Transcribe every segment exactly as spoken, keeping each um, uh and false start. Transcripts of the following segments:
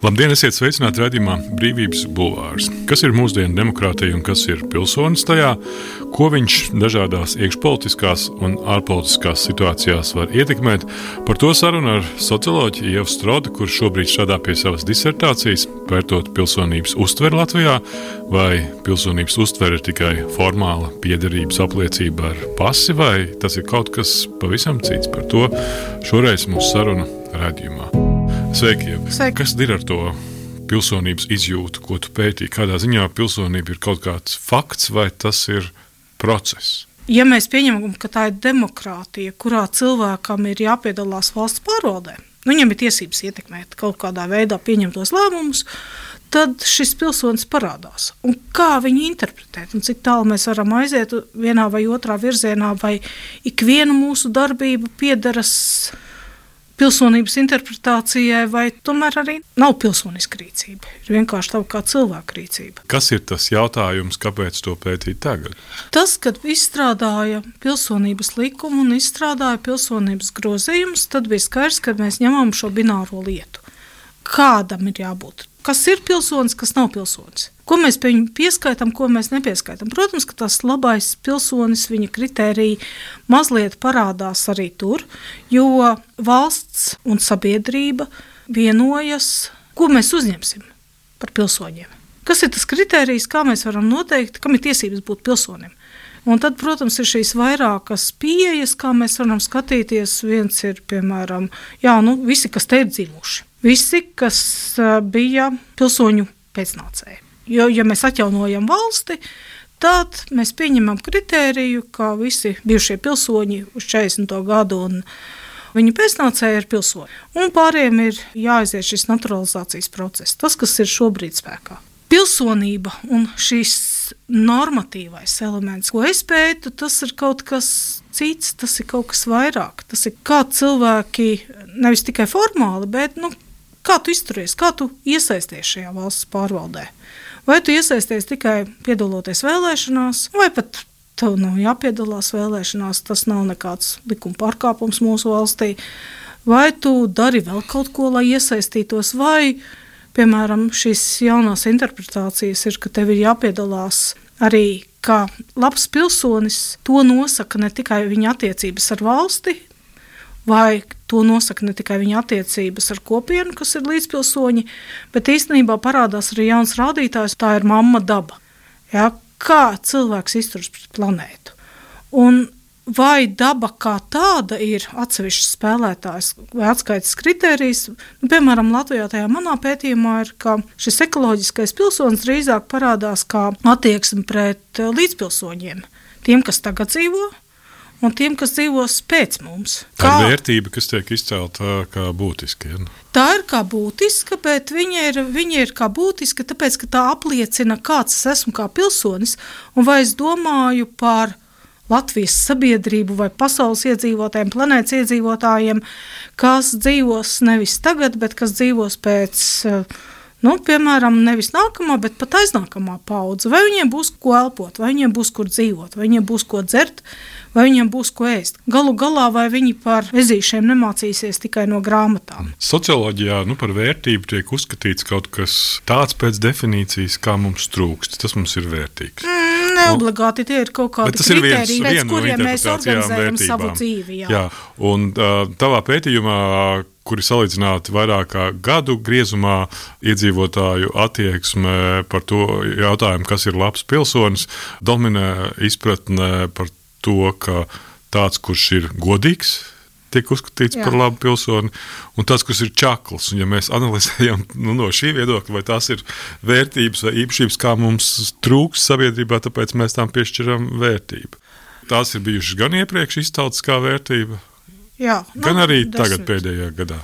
Labdien, esiet sveicināti raidījumā Brīvības bulvārs. Kas ir mūsdienu demokrātija un kas ir pilsonis tajā, ko viņš dažādās iekšpolitiskās un ārpolitiskās situācijās var ietekmēt? Par to sarunu ar socioloģi Ievu Strodi, kurš šobrīd strādā pie savas disertācijas, pētot pilsonības uztveri Latvijā, vai pilsonības uztvere ir tikai formāla piederības apliecība ar pasi, vai tas ir kaut kas pavisam cits. Par to šoreiz mūsu saruna raidījumā. Sveiki, Ieva. Sveiki. Kas ir ar to pilsonības izjūtu, ko tu pētīji? Kādā ziņā pilsonība ir kaut kāds fakts vai tas ir process? Ja mēs pieņemam, ka tā ir demokrātija, kurā cilvēkam ir jāpiedalās valsts pārvaldē, nu, viņam ir tiesības ietekmēt kaut kādā veidā pieņemtos lēmumus, tad šis pilsonis parādās. Un kā viņu interpretēt? Un cik tālu mēs varam aiziet vienā vai otrā virzienā, vai ikviena mūsu darbība piederas pilsonības interpretācijai, vai tomēr arī nav pilsoniska rīcība. Ir vienkārši tā kā cilvēka rīcība. Kas ir tas jautājums, kāpēc to pētīt tagad? Tas, kad izstrādāja pilsonības likumu un izstrādāja pilsonības grozījumus, tad bija skaidrs, ka mēs ņemam šo bināro lietu. Kādam ir jābūt? Kas ir pilsonis, kas nav pilsonis? Ko mēs pie viņu pieskaitām, ko mēs nepieskaitām? Protams, ka tas labais pilsonis, viņa kritērija mazliet parādās arī tur, jo valsts un sabiedrība vienojas, ko mēs uzņemsim par pilsoņiem. Kas ir tas kritērijs, kā mēs varam noteikt, kam ir tiesības būt pilsonim? Un tad, protams, ir šīs vairākas pieejas, kā mēs varam skatīties. Viens ir, piemēram, jā, nu, visi, kas te ir dzimuši. Visi, kas uh, bija pilsoņu pēcnācēji. Jo, ja mēs atjaunojam valsti, tad mēs pieņemam kritēriju, ka visi bijušie pilsoņi uz četrdesmito gadu un viņa pēcnācēji ir pilsoņi. Un pārējiem ir jāaiziet šis naturalizācijas process, tas, kas ir šobrīd spēkā. Pilsonība un šis normatīvais elements, ko es pētu, tas ir kaut kas cits, tas ir kaut kas vairāk. Tas ir kā cilvēki, nevis tikai formāli, bet nu, kā tu izturies, kā tu iesaisties šajā valsts pārvaldē. Vai tu iesaisties tikai piedaloties vēlēšanās, vai pat tev nav jāpiedalās vēlēšanās, tas nav nekāds likuma pārkāpums mūsu valstī, vai tu dari vēl kaut ko, lai iesaistītos, vai, piemēram, šīs jaunās interpretācijas ir, ka tev ir jāpiedalās arī kā labs pilsonis, to nosaka ne tikai viņa attiecības ar valsti, vai to nosaka ne tikai viņa attiecības ar kopienu, kas ir līdzpilsoņi, bet īstenībā parādās arī jauns rādītājs, tā ir mamma daba. Ja, kā cilvēks izturas pret planētu. Un vai daba kā tāda ir atsevišķs spēlētājs vai atskaites kritērijs? Nu, piemēram, Latvijā tajā manā pētījumā ir, ka šis ekoloģiskais pilsonis drīzāk parādās kā attieksme pret līdzpilsoņiem. Tiem, kas tagad dzīvo, un tiem, kas dzīvos pēc mums. Tā ir vērtība, kas tiek izcelta kā būtiska. Ja? Tā ir kā būtiska, bet viņa ir, viņa ir kā būtiska, tāpēc, ka tā apliecina, kāds es esmu kā pilsonis, un vai es domāju par Latvijas sabiedrību vai pasaules iedzīvotājiem, planētas iedzīvotājiem, kas dzīvos nevis tagad, bet kas dzīvos pēc, nu, piemēram, nevis nākamā, bet pat aiznākamā paudze. Vai viņiem būs ko elpot, vai viņiem būs kur dzīvot, vai viņiem būs ko dzert, vai viņiem būs ko ēst. Galu galā, vai viņi par ezīšiem nemācīsies tikai no grāmatām. Socioloģijā nu, par vērtību tiek uzskatīts kaut kas tāds pēc definīcijas, kā mums trūkst. Tas mums ir vērtīgs. Mm, neobligāti tie ir kaut kādi kritēriji, pēc kuriem mēs organizējam savu dzīvi. Jā. Jā. Un uh, tavā pētījumā, kuri salīdzināti vairāk kā gadu griezumā iedzīvotāju attieksme par to jautājumu, kas ir labs pilsonis, dominē izpratne par to, ka tāds, kurš ir godīgs, tiek uzskatīts Jā. Par labu pilsoni, un tāds, kurš ir čakls. Un ja mēs analizējam nu, no šī viedokļa, vai tās ir vērtības vai īpašības, kā mums trūks sabiedrībā, tāpēc mēs tām piešķiram vērtību. Tās ir bijušas gan iepriekš izceltas kā vērtība, Jā, gan arī desmit. tagad pēdējā gadā.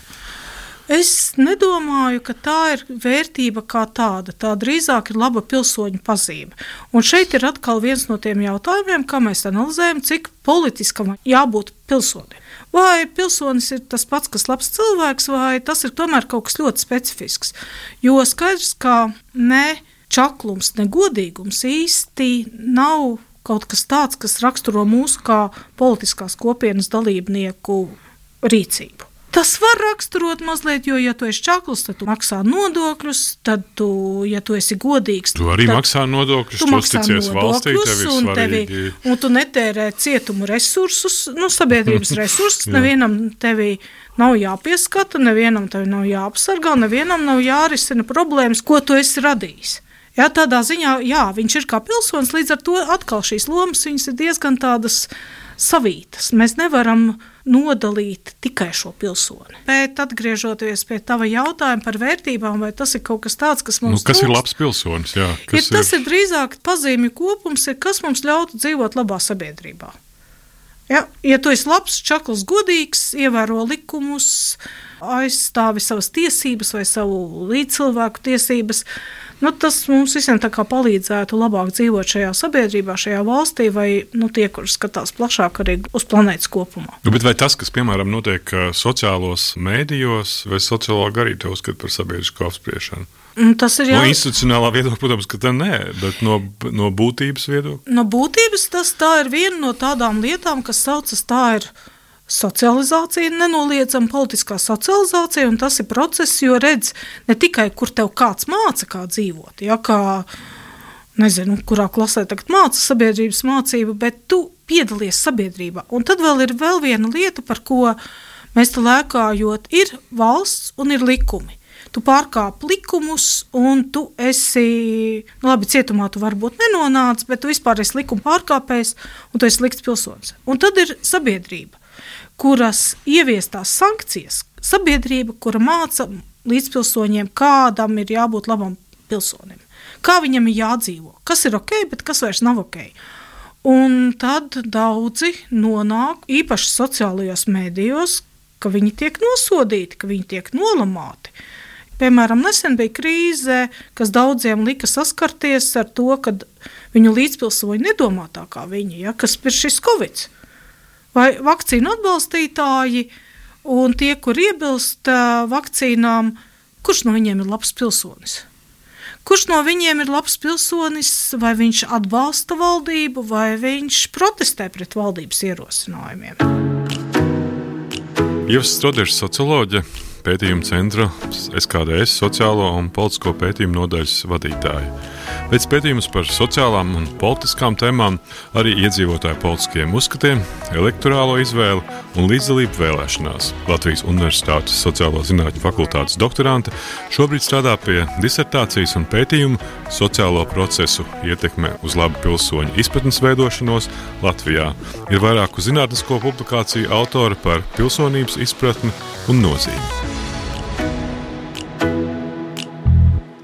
Es nedomāju, ka tā ir vērtība kā tāda. Tā drīzāk ir laba pilsoņu pazīme. Un šeit ir atkal viens no tiem jautājumiem, kā mēs analizējam, cik politiskam jābūt pilsonim. Vai pilsonis ir tas pats, kas labs cilvēks, vai tas ir tomēr kaut kas ļoti specifisks. Jo skaidrs, ka ne čaklums, ne godīgums īsti nav kaut kas tāds, kas raksturo mūsu kā politiskās kopienas dalībnieku rīcību. Tas var raksturot mazliet, jo, ja tu esi čakls, tad tu maksā nodokļus, tad tu, ja tu esi godīgs, tu arī maksā nodokļus, tu uzticies valstī, tev ir svarīgi. Tevi, un tu netērē cietumu resursus, nu, sabiedrības resursus, nevienam tevi nav jāpieskata, nevienam tevi nav jāapsargā, nevienam nav jārisina problēmas, ko tu esi radījis. Jā, tādā ziņā, jā, viņš ir kā pilsonis, līdz ar to atkal šīs lomas, viņas ir diezgan tādas savītas. Mēs nevaram nodalīt tikai šo pilsoni. Bet atgriežoties pie tava jautājuma par vērtībām, vai tas ir kaut kas tāds, kas mums nu, kas trūkst? Ir labs pilsonis? Jā, kas ir, tas ir, ir drīzāk pazīmju kopums, ir, kas mums ļautu dzīvot labā sabiedrībā. Ja, ja tu esi labs, čakls, godīgs, ievēro likumus, aizstāvi savas tiesības vai savu līdzcilvēku tiesības, nu, tas mums visiem tā kā palīdzētu labāk dzīvot šajā sabiedrībā, šajā valstī, vai nu, tie, kur skatās plašāk arī uz planētas kopumā. Nu, bet vai tas, kas, piemēram, notiek sociālos mēdījos, vai sociologi arī te uzskata par sabiedrisko apspriešanu? Tas ir jā... No institucionālā viedokļa, protams, ka tā nē, bet no, no būtības viedokļa? No būtības tas tā ir viena no tādām lietām, kas saucas tā ir socializācija, nenoliedzama politiskā socializācija, un tas ir process, jo redz ne tikai, kur tev kāds māca, kā dzīvot, ja, kā, nezinu, kurā klasē tagad māca sabiedrības mācību, bet tu piedalies sabiedrībā. Un tad vēl ir vēl viena lieta, par ko mēs te lēkājot, ir valsts un ir likumi. Tu pārkāp likumus, un tu esi, nu labi, cietumā tu varbūt nenonāc, bet tu vispār esi likuma pārkāpējs, un tu esi slikts pilsonis. Un tad ir sabiedrība, kuras ieviestās sankcijas, sabiedrība, kura māca līdzpilsoņiem, kādam ir jābūt labam pilsonim, kā viņam ir jādzīvo, kas ir ok, bet kas vairs nav ok. Un tad daudzi nonāk īpaši sociālajos mēdījos, ka viņi tiek nosodīti, ka viņi tiek nolamāti. Piemēram, nesen bija krīze, kas daudziem lika saskarties ar to, ka viņu līdzpilsoņi nedomā tā kā viņi, ja, kas ir šis Covid. Vai vakcīnu atbalstītāji un tie, kur iebilst vakcīnām, kurš no viņiem ir labs pilsonis? Kurš no viņiem ir labs pilsonis, vai viņš atbalsta valdību, vai viņš protestē pret valdības ierosinājumiem? Ieva Strodieša, socioloģe, pētījuma centra S K D S sociālo un politisko pētījumu nodaļas vadītāja. Pēc pētījumus par sociālām un politiskām tēmām, arī iedzīvotāju politiskiem uzskatiem, elektorālo izvēli un līdzdalību vēlēšanās. Latvijas Universitātes sociālo zinātņu fakultātes doktorante šobrīd strādā pie disertācijas un pētījumu sociālo procesu ietekme uz labu pilsoņu izpratnes veidošanos Latvijā. Ir vairāku zinātnisko publikāciju autora par pilsonības izpratni un nozīmi.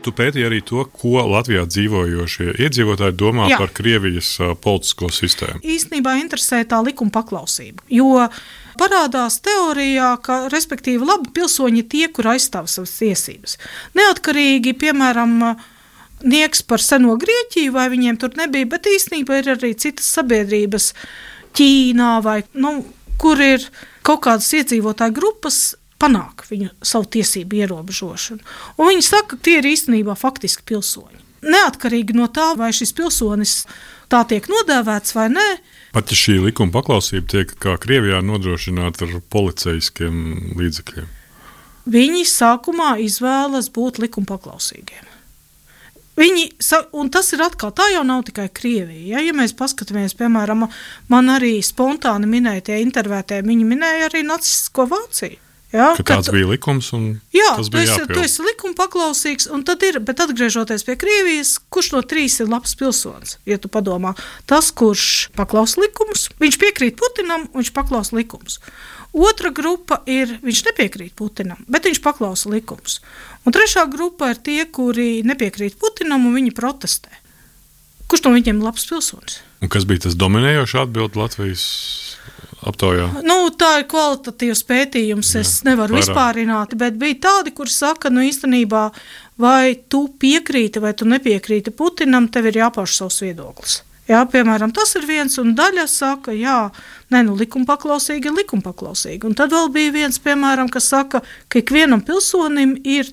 Tu pētīji arī to, ko Latvijā dzīvojošie iedzīvotāji domā Jā. Par Krievijas uh, politisko sistēmu. Īstenībā interesē tā likuma paklausība, jo parādās teorijā, ka, respektīvi, labi pilsoņi tie, kur aizstāv savas tiesības. Neatkarīgi, piemēram, nieks par seno Grieķiju, vai viņiem tur nebija, bet īstenībā ir arī citas sabiedrības Ķīnā, vai, nu, kur ir kaut kādas iedzīvotāju grupas, panāk viņu savu tiesību ierobežošanu. Un viņi saka, ka tie ir īstenībā faktiski pilsoņi. Neatkarīgi no tā, vai šis pilsonis tā tiek nodēvēts vai nē. Pat ja šī likuma paklausība tiek kā Krievijā nodrošināta ar policijiskiem līdzekļiem. Viņi sākumā izvēlas būt likuma paklausīgiem. Viņi, un tas ir atkal, tā jau nav tikai Krievija. Ja, ja mēs paskatāmies, piemēram, man arī spontāni minētie intervētē, viņi minēja arī nacistisko Vāciju. Jā, ka tāds kad, bija likums un jā, tas bija jāpild. Jā, tu esi likuma paklausīgs, un tad ir, bet atgriežoties pie Krievijas, kurš no trīs ir labs pilsonis, ja tu padomā? Tas, kurš paklaus likumus, viņš piekrīt Putinam, un viņš paklaus likumus. Otra grupa ir, viņš nepiekrīt Putinam, bet viņš paklausa likumus. Un trešā grupa ir tie, kuri nepiekrīt Putinam, un viņi protestē. Kurš no viņiem ir labs pilsonis? Un kas bija tas dominējošs atbild Latvijas aptaujā? Nu, tā ir kvalitatīvs pētījums, Jā, es nevaru vairāk vispārināt, bet bija tādi, kuri saka, nu īstenībā, vai tu piekrīti, vai tu nepiekrīti Putinam, tev ir jāpauž savs viedoklis. Jā, piemēram, tas ir viens, un daļa saka, jā, ne, nu likuma paklausīgi ir likuma paklausīgi. Un tad vēl bija viens, piemēram, kas saka, ka ikvienam pilsonim ir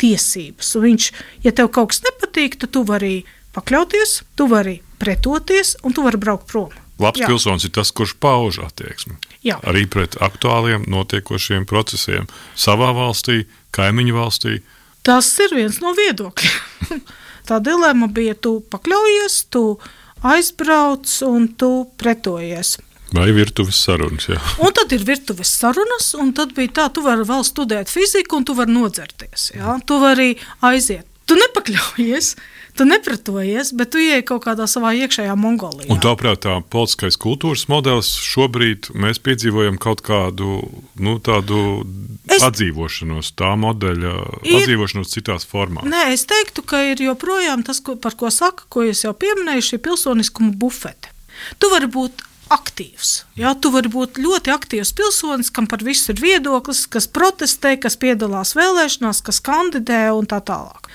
tiesības, un viņš, ja tev kaut kas nepatīk, tad tu vari pakļauties, tu vari pretoties, un tu vari braukt prom. Labs Jā. pilsonis ir tas, kurš pauž attieksmi. Jā. Arī pret aktuāliem notiekošiem procesiem savā valstī, kaimiņu valstī. Tas ir viens no viedokļiem. Tā dilemma bija, tu pakļaujies, tu aizbrauc un tu pretojies. Vai virtuves sarunas, jā. Un tad ir virtuves sarunas, un tad bija tā, tu vari vēl studēt fiziku, un tu vari nodzerties. Jā? Tu vari aiziet. Tu nepakļaujies, tu nepretojies, bet tu ieej kaut kādā savā iekšējā Mongolijā. Un tāprāt, tā politiskais kultūras modelis šobrīd mēs piedzīvojam kaut kādu, nu, tādu es... atdzīvošanos, tā modeļa ir... atdzīvošanos citās formās. Nē, es teiktu, ka ir joprojām tas, ko, par ko saka, ko es jau pieminēju, šī pilsoniskuma bufete. Tu vari būt aktīvs. Jā, tu vari būt ļoti aktīvs pilsonis, kam par visu ir viedoklis, kas protestē, kas piedalās vēlēšanās, kas kandidē un tā tālāk.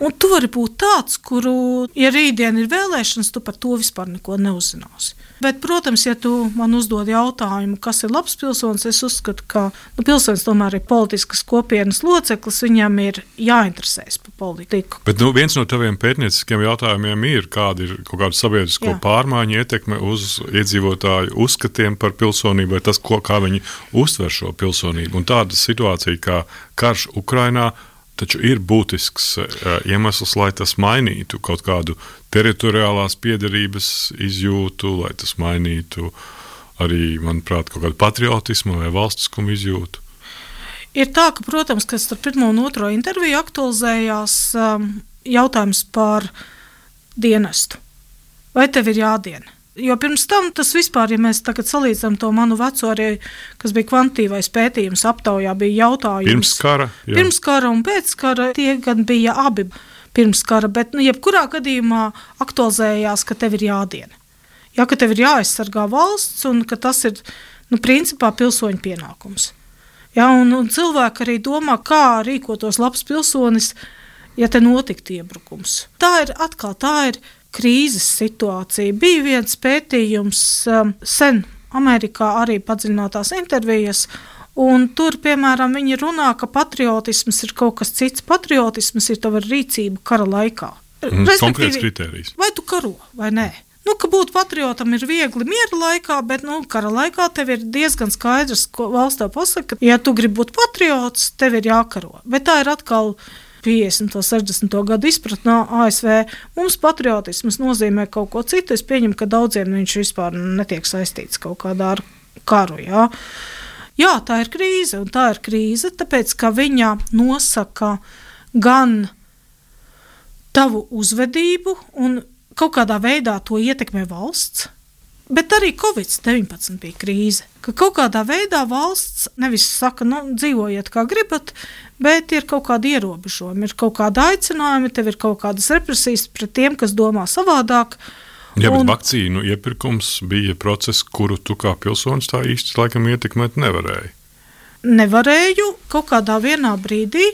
Un tu vari būt tāds, kuru, ja rītdien ir vēlēšanas, tu par to vispār neko neuzzināsi. Bet, protams, ja tu man uzdod jautājumu, kas ir labs pilsonis, es uzskatu, ka nu, pilsonis tomēr ir politiskas kopienas loceklis, viņam ir jāinteresēs par politiku. Bet nu, viens no taviem pētnieciskiem jautājumiem ir, kāda ir kaut kāda sabiedrisko Jā. pārmaiņu ietekme uz iedzīvotāju uzskatiem par pilsonību, vai tas, ko, kā viņi uztver šo pilsonību. Un tāda situācija kā karš Ukrainā, taču ir būtisks uh, iemesls, lai tas mainītu kaut kādu teritoriālās piederības izjūtu, lai tas mainītu arī, manuprāt, kaut kādu patriotismu vai valstiskumu izjūtu. Ir tā, ka, protams, ka starp pirmo un otro interviju aktualizējās um, jautājums par dienestu. Vai tev ir jādiena? Jo pirms tam tas vispār, ja mēs tagad salīdzinām to manu veco arī, kas bija kvantitīvais pētījums aptaujā, bija jautājums. Pirms kara. Jā. Pirms kara un pēc kara tie gan bija abi pirms kara, bet nu, jebkurā gadījumā aktualizējās, ka tev ir jādiena. Jā, ka tev ir jāaizsargā valsts un ka tas ir, nu, principā pilsoņu pienākums. Jā, un, un cilvēki arī domā, kā rīkotos labs pilsonis, ja te notiktu iebrukums. Tā ir atkal, tā ir krīzes situācija. Bija viens pētījums um, sen Amerikā arī padziļinātās intervijas, un tur, piemēram, viņi runā, ka patriotisms ir kaut kas cits. Patriotisms ir tava rīcība kara laikā. Mm, konkrēts kriterijs. Vai tu karo, vai nē? Nu, ka būt patriotam ir viegli miera laikā, bet, nu, kara laikā tev ir diezgan skaidrs, ko valsts tev pasaka, ka, ja tu gribi būt patriots, tev ir jākaro. Bet tā ir atkal piecdesmito, sešdesmito gadu izpratnē A S V. Mums patriotisms nozīmē kaut ko citu. Es pieņemu, ka daudziem viņš vispār netiek saistīts kaut kādā ar karu. Jā. jā, tā ir krīze, un tā ir krīze, tāpēc, ka viņa nosaka gan tavu uzvedību, un kaut kādā veidā to ietekmē valsts, bet arī covid deviņpadsmit bija krīze, ka kaut kādā veidā valsts nevis saka, nu, dzīvojiet kā gribat, bet ir kaut kādi ierobežojumi, ir kaut kāda aicinājumi, tev ir kaut kādas represijas pret tiem, kas domā savādāk. Jā, bet un... vakcīnu iepirkums bija process, kuru tu kā pilsonis tā īsti laikam ietekmēt nevarēji. Nevarēju, kaut kādā vienā brīdī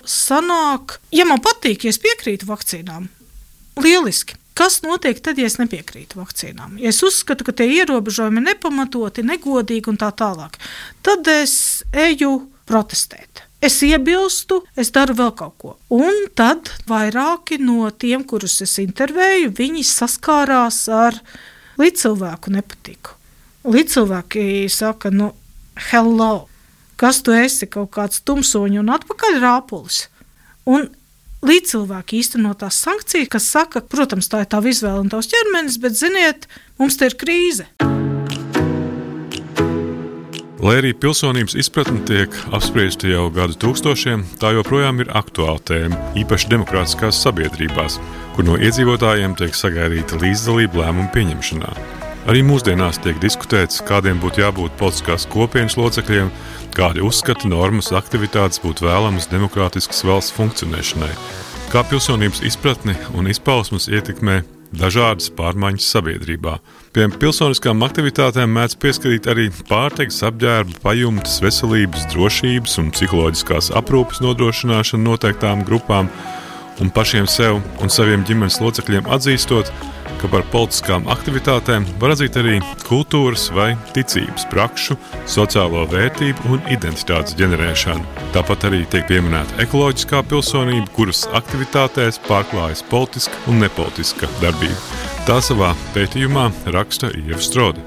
sanāk, ja man patīk, ja es piekrītu vakcīnām, lieliski. Kas notiek tad, ja es nepiekrītu vakcīnām? Ja es uzskatu, ka tie ierobežojumi ir nepamatoti, negodīgi un tā tālāk, tad es eju protestēt. Es iebilstu, es daru vēl kaut ko. Un tad vairāki no tiem, kurus es intervēju, viņi saskārās ar līdzcilvēku nepatiku. Līdzcilvēki saka, nu, hello, kas tu esi, kaut kāds tumsoņi un atpakaļ rāpulis. Un līdzcilvēki īstenotās sankcijas, kas saka, protams, tā ir tava izvēle un tavs ķermenis, bet, ziniet, mums te ir krīze. Lai arī pilsonības izpratne tiek apspriesta jau gadu tūkstošiem, tā joprojām ir aktuāla tēma, īpaši demokrātiskās sabiedrībās, kur no iedzīvotājiem tiek sagaidīta līdzdalība lēmumu pieņemšanā. Arī mūsdienās tiek diskutēts, kādiem būtu jābūt politiskās kopienas locekļiem, kādi uzskati, normas, aktivitātes būtu vēlamas demokrātiskas valsts funkcionēšanai, kā pilsonības izpratni un izpausmes ietekmē dažādas pārmaiņas sabiedrībā. Pie pilsoniskām aktivitātēm mēdz pieskatīt arī pārtikas, apģērba, pajumtes, veselības, drošības un psiholoģiskās aprūpes nodrošināšanu noteiktām grupām un pašiem sev un saviem ģimenes locekļiem atzīstot, ka par politiskām aktivitātēm var atzīt arī kultūras vai ticības prakšu, sociālo vērtību un identitātes ģenerēšanu. Tāpat arī tiek pieminēta ekoloģiskā pilsonība, kuras aktivitātēs pārklājas politiska un nepolitiska darbība. Tā savā pētījumā raksta Ieva Strode.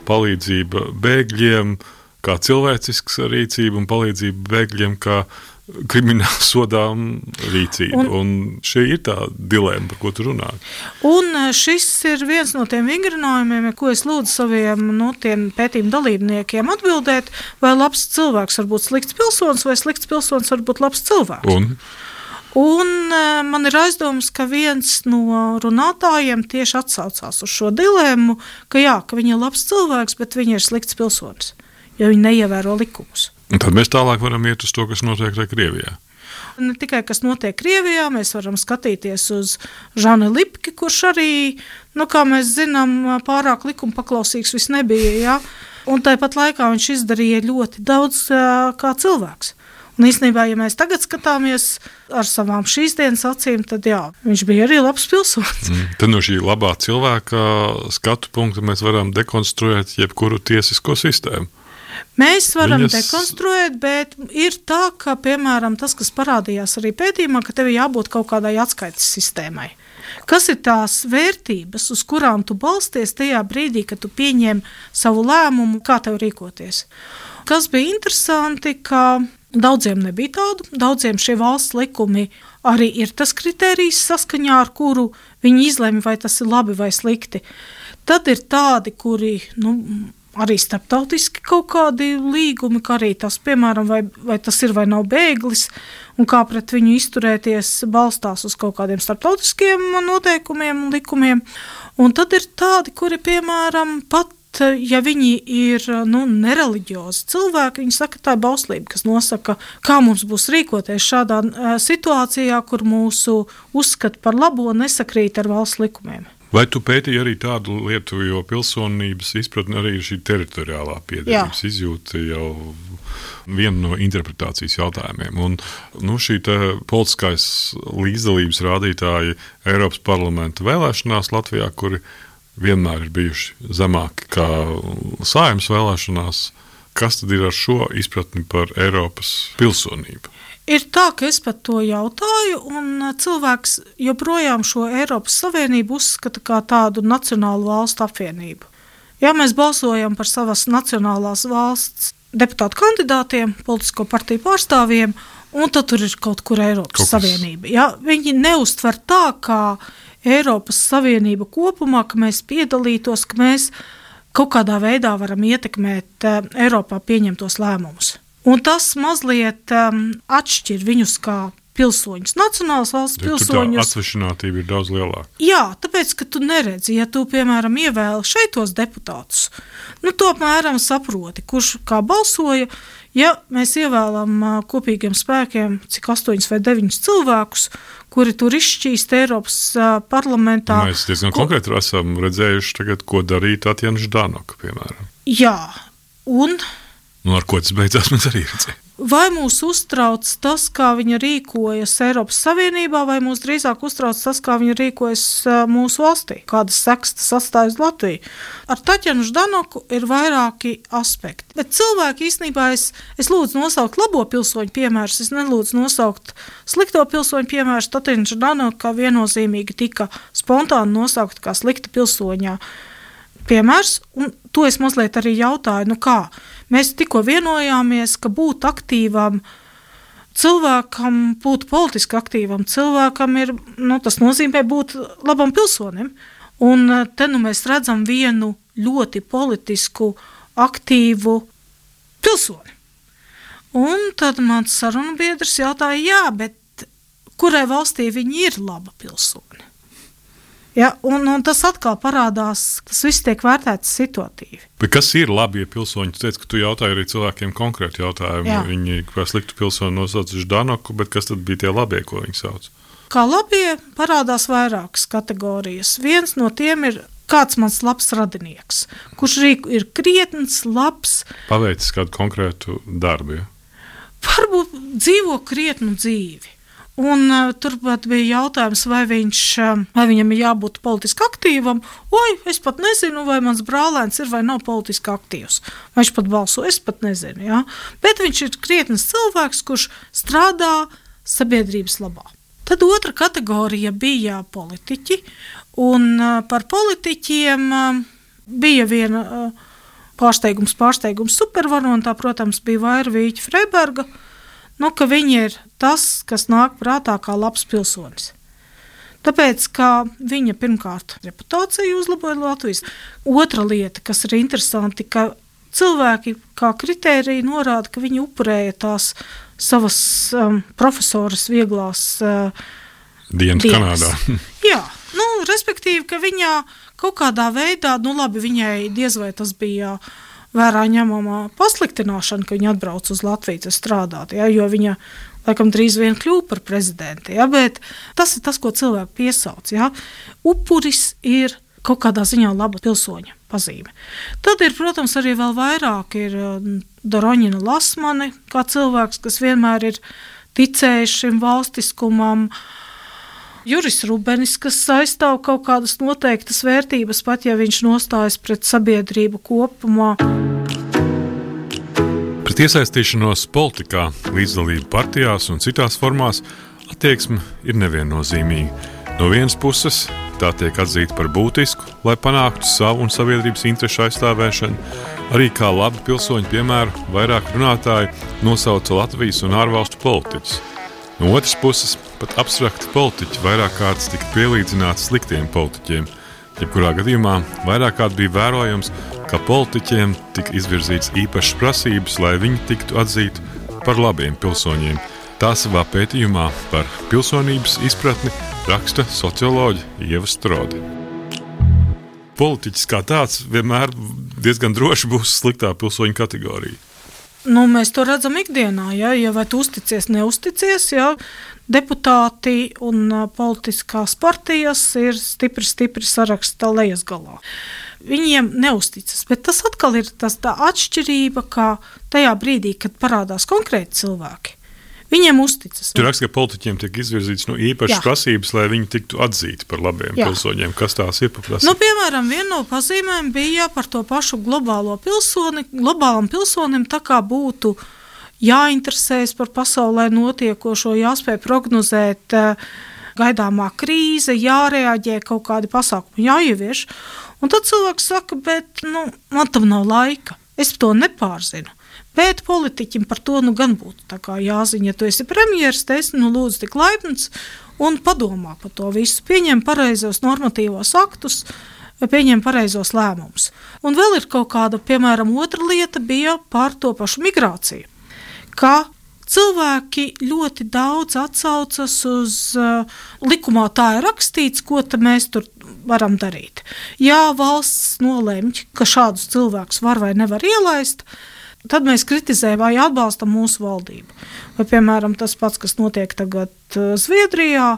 Palīdzība bēgļiem kā cilvēcisks rīcība un palīdzība bēgļiem kā krimināla sodām rīcība. Un, un šī ir tā dilēma, par ko tu runā. Un šis ir viens no tiem vingrinājumiem, ko es lūdzu saviem no tiem pētījuma dalībniekiem atbildēt, vai labs cilvēks var būt slikts pilsonis, vai slikts pilsonis var būt labs cilvēks. Un? Un man ir aizdomas, ka viens no runātājiem tieši atsaucās uz šo dilēmu, ka jā, ka viņa ir labs cilvēks, bet viņa ir slikts pilsonis, jo viņa neievēro likumus. Un tad mēs tālāk varam iet uz to, kas notiek Krievijā. Ne tikai kas notiek Krievijā, mēs varam skatīties uz Žanu Lipki, kurš arī, nu, kā mēs zinām, pārāk likuma paklausīgs vis nebija, ja? Un tāpat laikā viņš izdarīja ļoti daudz kā cilvēks. Un īstenībā, ja mēs tagad skatāmies ar savām šīs dienas acīm, tad jā, viņš bija arī labs pilsonis. Mm, tad no šī labā cilvēka skatu punkta mēs varam dekonstruēt jebkuru tiesisko sistēmu. Mēs varam Viņas... dekonstruēt, bet ir tā, ka, piemēram, tas, kas parādījās arī pētījumā, ka tev jābūt kaut kādai atskaites sistēmai. Kas ir tās vērtības, uz kurām tu balsties tajā brīdī, kad tu pieņem savu lēmumu, kā tev rīkoties? Kas bija interesanti, ka daudziem nebija tādu, daudziem šie valsts likumi arī ir tas kritērijs, saskaņā ar kuru viņi izlemj, vai tas ir labi vai slikti. Tad ir tādi, kuri, nu, arī starptautiski kaut kādi līgumi, kā arī tas, piemēram, vai, vai tas ir vai nav bēglis, un kā pret viņu izturēties balstās uz kaut kādiem starptautiskiem noteikumiem un likumiem. Un tad ir tādi, kuri, piemēram, pat, ja viņi ir, nu, nereliģiozi cilvēki, viņi saka, tā ir bauslība, kas nosaka, kā mums būs rīkoties šādā situācijā, kur mūsu uzskati par labo nesakrīt ar valsts likumiem. Vai tu pētīji arī tādu lietu, jo pilsonības izpratne arī ir šī teritoriālā piederības izjūta jau viena no interpretācijas jautājumiem. Un, nu, šī te politiskais līdzdalības rādītāji Eiropas parlamenta vēlēšanās Latvijā, kuri vienmēr ir bijuši zemāki kā Saeimas vēlēšanās, kas tad ir ar šo izpratni par Eiropas pilsonību? Ir tā, ka es pat to jautāju, un cilvēks joprojām šo Eiropas Savienību uzskata kā tādu nacionālu valstu apvienību. Ja mēs balsojam par savas nacionālās valsts deputātu kandidātiem, politisko partiju pārstāvjiem, un tad tur ir kaut kur Eiropas kaut Savienība. Ja, viņi neuztver tā, kā Eiropas Savienība kopumā, ka mēs piedalītos, ka mēs kaut kādā veidā varam ietekmēt Eiropā pieņemtos lēmumus. Un tas mazliet um, atšķir viņus kā pilsoņus, nacionālas valsts ja pilsoņus. Tā atsvešinātība ir daudz lielāka. Jā, tāpēc, ka tu neredzi, ja tu, piemēram, ievēli šeitos deputātus, nu, tu apmēram saproti, kurš kā balsoja, ja mēs ievēlam uh, kopīgiem spēkiem, cik astoņus vai deviņus cilvēkus, kuri tur izšķīst Eiropas uh, parlamentā. Mēs diezgan ko... konkrēti esam redzējuši tagad, ko darīt Tatjana Ždanoka, piemēram. Jā, un... Nu, ar ko tas beidzās, mēs arī redzējām. Vai mūs uztrauc tas, kā viņa rīkojas Eiropas Savienībā, vai mūs drīzāk uztrauc tas, kā viņa rīkojas mūsu valstī? Kādas sekas tas atstāj uz Latviju? Ar Tatjanu Ždanoku ir vairāki aspekti. Bet cilvēki īstenībā es, es lūdzu nosaukt labo pilsoņu piemērus, es nelūdzu nosaukt slikto pilsoņu piemērus. Tatjana Ždanoka viennozīmīgi tika spontāni nosaukt kā slikta pilsoņā piemērs, un to es mazliet arī jautāju, nu kā? Mēs tikko vienojāmies, ka būt aktīvam cilvēkam, būt politiski aktīvam cilvēkam ir, nu, tas nozīmē būt labam pilsonim. Un te nu mēs redzam vienu ļoti politisku, aktīvu pilsoni. Un tad mans sarunbiedrs jautāja, jā, bet kurai valstī viņi ir laba pilsoni? Ja, un, un tas atkal parādās, tas viss tiek vērtēts situatīvi. Bet kas ir labie pilsoņi? Tu teici, ka tu jautāji arī cilvēkiem konkrēti jautājumu. Jā. Viņi kā sliktu pilsoni nosauc Ždanoku, bet kas tad bija tie labie, ko viņi sauc? Kā labie parādās vairākas kategorijas. Viens no tiem ir kāds mans labs radinieks, kurš ir krietns, labs. Paveicis kādu konkrētu darbu, ja? Varbūt dzīvo krietnu dzīvi. Un uh, turpat bija jautājums, vai, viņš, uh, vai viņam ir jābūt politiski aktīvam. Oi, es pat nezinu, vai mans brālēns ir vai nav politiski aktīvs. Vai viņš pat balso, es pat nezinu. Ja? Bet viņš ir krietnes cilvēks, kurš strādā sabiedrības labā. Tad otra kategorija bija politiķi, un par politiķiem bija viena pārsteigums, pārsteigums supervarontā, protams, bija Vaira Vīķa Freiberga, nu, ka viņi ir tas, kas nāk prātā kā labs pilsonis. Tāpēc, ka viņa pirmkārt reputāciju uzlaboja Latvijas. Otra lieta, kas ir interesanti, ka cilvēki kā kritērija norāda, ka viņi upurēja tās savas um, profesoras vieglās uh, dienas Kanādā. Jā, nu, respektīvi, ka viņā kaut kādā veidā, nu labi, viņai diez vai tas bija vērā ņemamā pasliktināšana, ka viņa atbrauc uz Latviju strādāt, ja, jo viņa laikam drīz vien kļūpa par prezidenti, ja, bet tas ir tas, ko cilvēki piesauc. Ja. Upuris ir kaut kādā ziņā laba pilsoņa pazīme. Tad ir, protams, arī vēl vairāk ir Doroņina Lasmane, kā cilvēks, kas vienmēr ir ticējis šim valstiskumam, Juris Rubenis, kas aizstāv kaut kādas noteiktas vērtības, pat ja viņš nostājas pret sabiedrību kopumā. Pret iesaistīšanos politikā, līdzdalību partijās un citās formās attieksme ir neviennozīmīga. No vienas puses tā tiek atzīta par būtisku, lai panāktu savu un sabiedrības interešu aizstāvēšanu. Arī kā labi pilsoņu piemēru vairāk runātāji nosauca Latvijas un ārvalstu politiķus. No otras puses, pat abstrakti politiķi vairāk kārtas tika pielīdzināti sliktiem politiķiem. Jebkurā gadījumā vairāk kārt bija vērojams, ka politiķiem tika izvirzīts īpašas prasības, lai viņi tiktu atzīti par labiem pilsoņiem. Tā savā pētījumā par pilsonības izpratni raksta socioloģe Ieva Strode. Politiķis kā tāds vienmēr diezgan droši būs sliktā pilsoņu kategorija. Nu, mēs to redzam ikdienā, ja, ja vai tu uzticies, neusticies, ja, deputāti un uh, politiskās partijas ir stipri, stipri saraksta lejas galā. Viņiem neusticas, bet tas atkal ir tas tā atšķirība, kā tajā brīdī, kad parādās konkrēti cilvēki. Viņiem uzticas. Tur raksta, ka politiķiem tiek izvirzīts no īpašas prasības, lai viņi tiktu atzīti par labiem Jā. pilsoņiem. Kas tās ir par prasību? Nu, piemēram, viena no pazīmēm bija par to pašu globālo pilsoni. Globālam pilsonim tā kā būtu jāinteresējas par pasaulē notiekošo, jāspēj prognozēt gaidāmā krīze, jārēģē, kaut kādi pasākumi jāievieš. Un tad cilvēks saka, bet nu, man tam nav laika, es to nepārzinu. Bet politiķim par to nu gan būtu tā kā jāziņa, ja tu esi premjeras, te esi nu lūdzu tik laipns un padomā par to visu, pieņem pareizos normatīvos aktus, pieņem pareizos lēmumus. Un vēl ir kaut kāda, piemēram, otra lieta bija par to pašu migrāciju, ka cilvēki ļoti daudz atsaucas uz uh, likumā tā ir rakstīts, ko tad mēs tur varam darīt. Ja valsts nolemj, ka šādus cilvēkus var vai nevar ielaist, tad mēs kritizējam vai atbalstam mūsu valdību. Vai, piemēram, tas pats, kas notiek tagad Zviedrijā,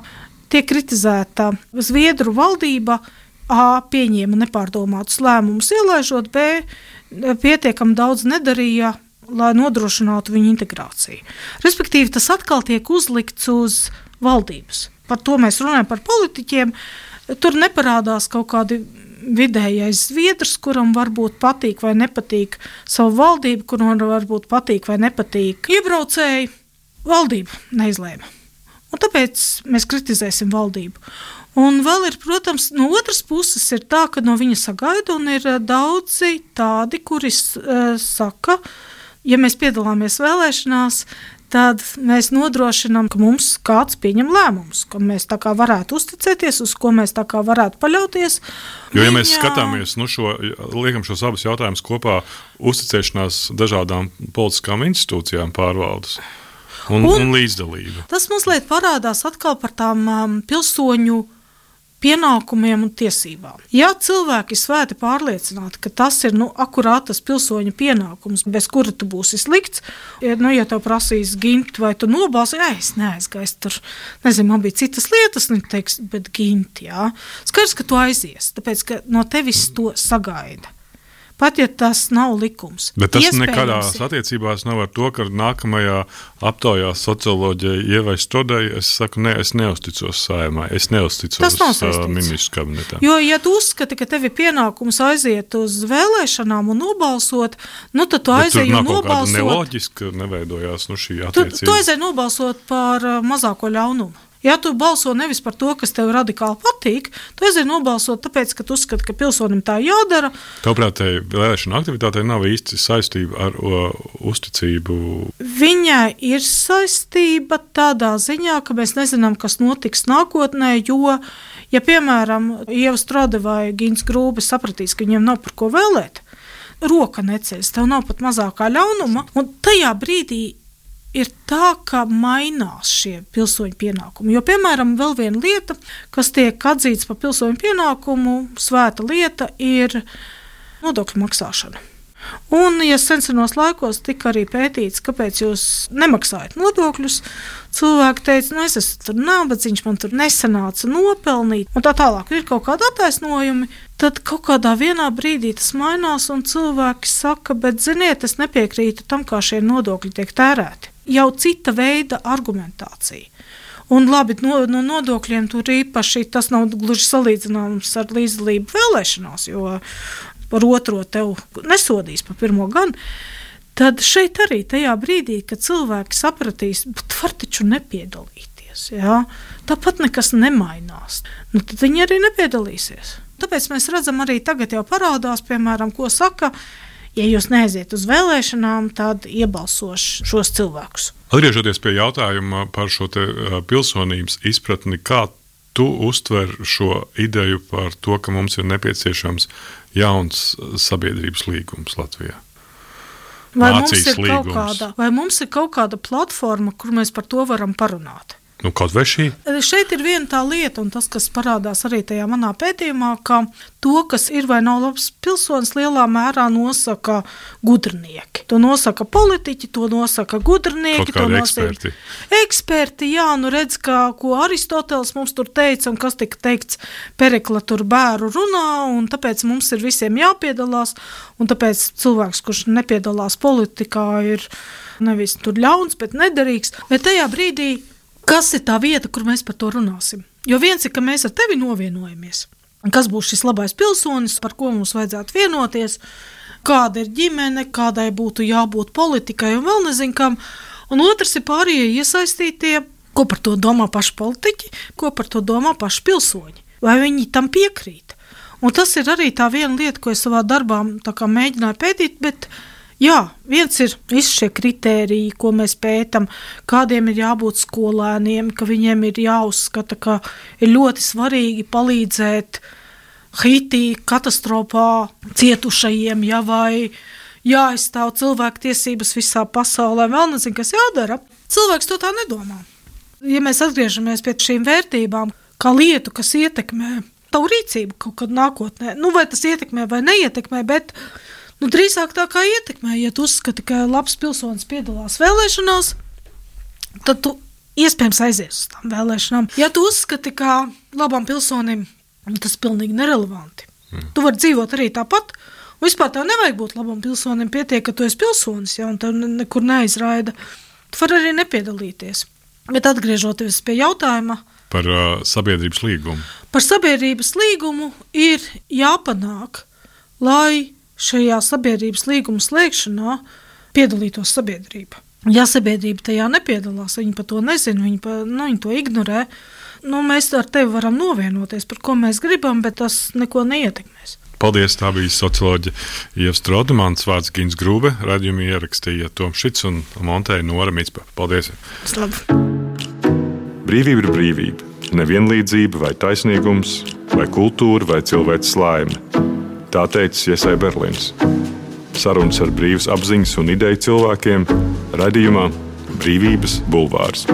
tiek kritizēta Zviedru valdība, A, pieņēma nepārdomātus lēmumus ielaižot, B, pietiekami daudz nedarīja, lai nodrošinātu viņu integrāciju. Respektīvi, tas atkal tiek uzlikts uz valdības. Par to mēs runājam par politiķiem. Tur neparādās kaut kādi vidējais zviedrs, kuram varbūt patīk vai nepatīk savu valdību, kuram varbūt patīk vai nepatīk iebraucēji, valdība neizlēma. Un tāpēc mēs kritizēsim valdību. Un vēl ir, protams, no otras puses ir tā, ka no viņa sagaida, un ir daudzi tādi, kuri uh, saka, ja mēs piedalāmies vēlēšanās, tad mēs nodrošinām, ka mums kāds pieņem lēmumus, ka mēs tā kā varētu uzticēties, uz ko mēs tā kā varētu paļauties. Jo, ja mēs skatāmies, nu šo, liekam šos abus jautājumus kopā, uzticēšanās dažādām politiskām institūcijām pārvaldes un, un, un līdzdalība. Tas mazliet parādās atkal par tām um, pilsoņu pienākumiem un tiesībām. Ja cilvēki svēti pārliecināti, ka tas ir nu, akurāt tas pilsoņa pienākums, bez kura tu būsi slikts, ja, nu, ja tev prasīs gimt vai tu nobalsi, ja, es neaizgaisu tur, nezinu, man bija citas lietas, nu, teiks, bet gimt, jā. Skaidrs, ka tu aizies, tāpēc, ka no tevis to sagaida. Pat ja tas nav likums. Bet tas nekādās attiecībās nav ar to, ka nākamajā aptaujā socioloģijai Ievai Strodei es saku, ne, es neusticos Saeimai, es neusticos uh, ministru kabinetam. Jo, ja tu uzskati, ka tev ir pienākums aiziet uz vēlēšanām un nobalsot, nu tad tu aizēji un nobalsot. Bet tur nav kaut kāda neloģiska, neveidojās nu šī attiecība. Tu, tu aizēji nobalsot par uh, mazāko ļaunumu. Ja tu balso nevis par to, kas tev radikāli patīk, tu aizēji nobalsot tāpēc, ka tu uzskati, ka pilsonim tā jādara. Tavuprāt, tai vēlēšana aktivitātei nav īsti saistība ar o, uzticību? Viņai ir saistība tādā ziņā, ka mēs nezinām, kas notiks nākotnē, jo, ja, piemēram, Ieva Strode vai Gins Grūbe sapratīs, ka viņiem nav par ko vēlēt, roka neceļas, tev nav pat mazākā ļaunuma, un tajā brīdī ir tā, ka mainās šie pilsoņu pienākumi. Jo, piemēram, vēl viena lieta, kas tiek atzīts par pilsoņu pienākumu, svēta lieta, ir nodokļu maksāšana. Un, ja senos laikos tika arī pētīts, kāpēc jūs nemaksājat nodokļus, cilvēki teica, nu es esmu tur nabadzīgs, man tur nesanāca nopelnīt, un tā tālāk ir kaut kādi attaisnojumi, tad kaut kādā vienā brīdī tas mainās, un cilvēki saka, bet ziniet, es nepiekrītu tam, kā šie nodokļi tiek tērēti. Jau cita veida argumentācija. Un labi, no, no nodokļiem tur īpaši tas nav gluži salīdzināms ar līdzdalību vēlēšanās, jo par otro tev nesodīs, par pirmo gan. Tad šeit arī tajā brīdī, kad cilvēki sapratīs, bet var taču nepiedalīties, jā? Tāpat nekas nemainās, nu, tad viņi arī nepiedalīsies. Tāpēc mēs redzam arī tagad jau parādās, piemēram, ko saka, ja jūs neaiziet uz vēlēšanām, tad iebalsošu šos cilvēkus. Atgriežoties pie jautājuma par šo te pilsonības izpratni, kā tu uztver šo ideju par to, ka mums ir nepieciešams jauns sabiedrības līgums Latvijā? Vai mums, ir kaut kāda, vai mums ir kaut kāda platforma, kur mēs par to varam parunāt? Nu, kaut vai šī? Šeit ir viena tā lieta, un tas, kas parādās arī tajā manā pētījumā, ka to, kas ir vai nav labs pilsonis, lielā mērā nosaka gudrinieki. To nosaka politiķi, to nosaka gudrinieki. Kaut kādi to nosaka eksperti. Eksperti, jā, nu redz, kā, ko Aristoteles mums tur teica, un kas tika teikts Perikla tur bēru runā, un tāpēc mums ir visiem jāpiedalās, un tāpēc cilvēks, kurš nepiedalās politikā, ir nevis tur ļauns, bet nederīgs. Bet tajā brīdī kas ir tā vieta, kur mēs par to runāsim? Jo viens ir, ka mēs ar tevi novienojamies. Kas būs šis labais pilsonis, par ko mums vajadzētu vienoties, kāda ir ģimene, kādai būtu jābūt politikai un vēl nezinu kam. Un otrs ir pārējie iesaistītie, ko par to domā paši politiķi, ko par to domā paši pilsoņi. Vai viņi tam piekrīt? Un tas ir arī tā viena lieta, ko es savā darbā tā kā mēģināju pētīt, bet jā, viens ir visi šie kritēriji, ko mēs pētam, kādiem ir jābūt skolēniem, ka viņiem ir jāuzskata, ka ir ļoti svarīgi palīdzēt Haitī katastrofā cietušajiem, ja vai jāaizstāv cilvēku tiesības visā pasaulē, vēl nezinu, kas jādara. Cilvēks to tā nedomā. Ja mēs atgriežamies pie šīm vērtībām, kā lietu, kas ietekmē tavu rīcību kaut kad nākotnē, nu vai tas ietekmē vai neietekmē, bet nu, drīzāk tā kā ietekmē, ja tu uzskati, ka labs pilsonis piedalās vēlēšanās, tad tu iespējams aizies uz tām vēlēšanām. Ja tu uzskati, ka labam pilsonim tas ir pilnīgi nerelevanti, mm. tu vari dzīvot arī tāpat, un vispār tev nevajag būt labam pilsonim, pietiek, ka tu esi pilsonis, ja, un tev nekur neizraida. Tu vari arī nepiedalīties. Bet atgriežoties pie jautājuma par uh, sabiedrības līgumu. Par sabiedrības līgumu ir jāpanāk, lai šajā sabiedrības līguma slēgšanā piedalītos sabiedrība. Ja sabiedrība tajā nepiedalās, viņi par to nezina, viņi, pa, nu, viņi to ignorē, nu, mēs ar tevi varam novienoties, par ko mēs gribam, bet tas neko neietekmēs. Paldies, tā bija socioloģe Ieva Strode, mans vārds Gins Grūbe, raidījumu ierakstīja Toms Šits un montēja Nora Micpa. Paldies! Slabi! Brīvība ir brīvība, nevienlīdzība vai taisnīgums, vai kultūra vai cilvēks laime. Tā teica Iesai Berlins. Sarunas ar brīvas apziņas un ideju cilvēkiem raidījumā Brīvības bulvārs.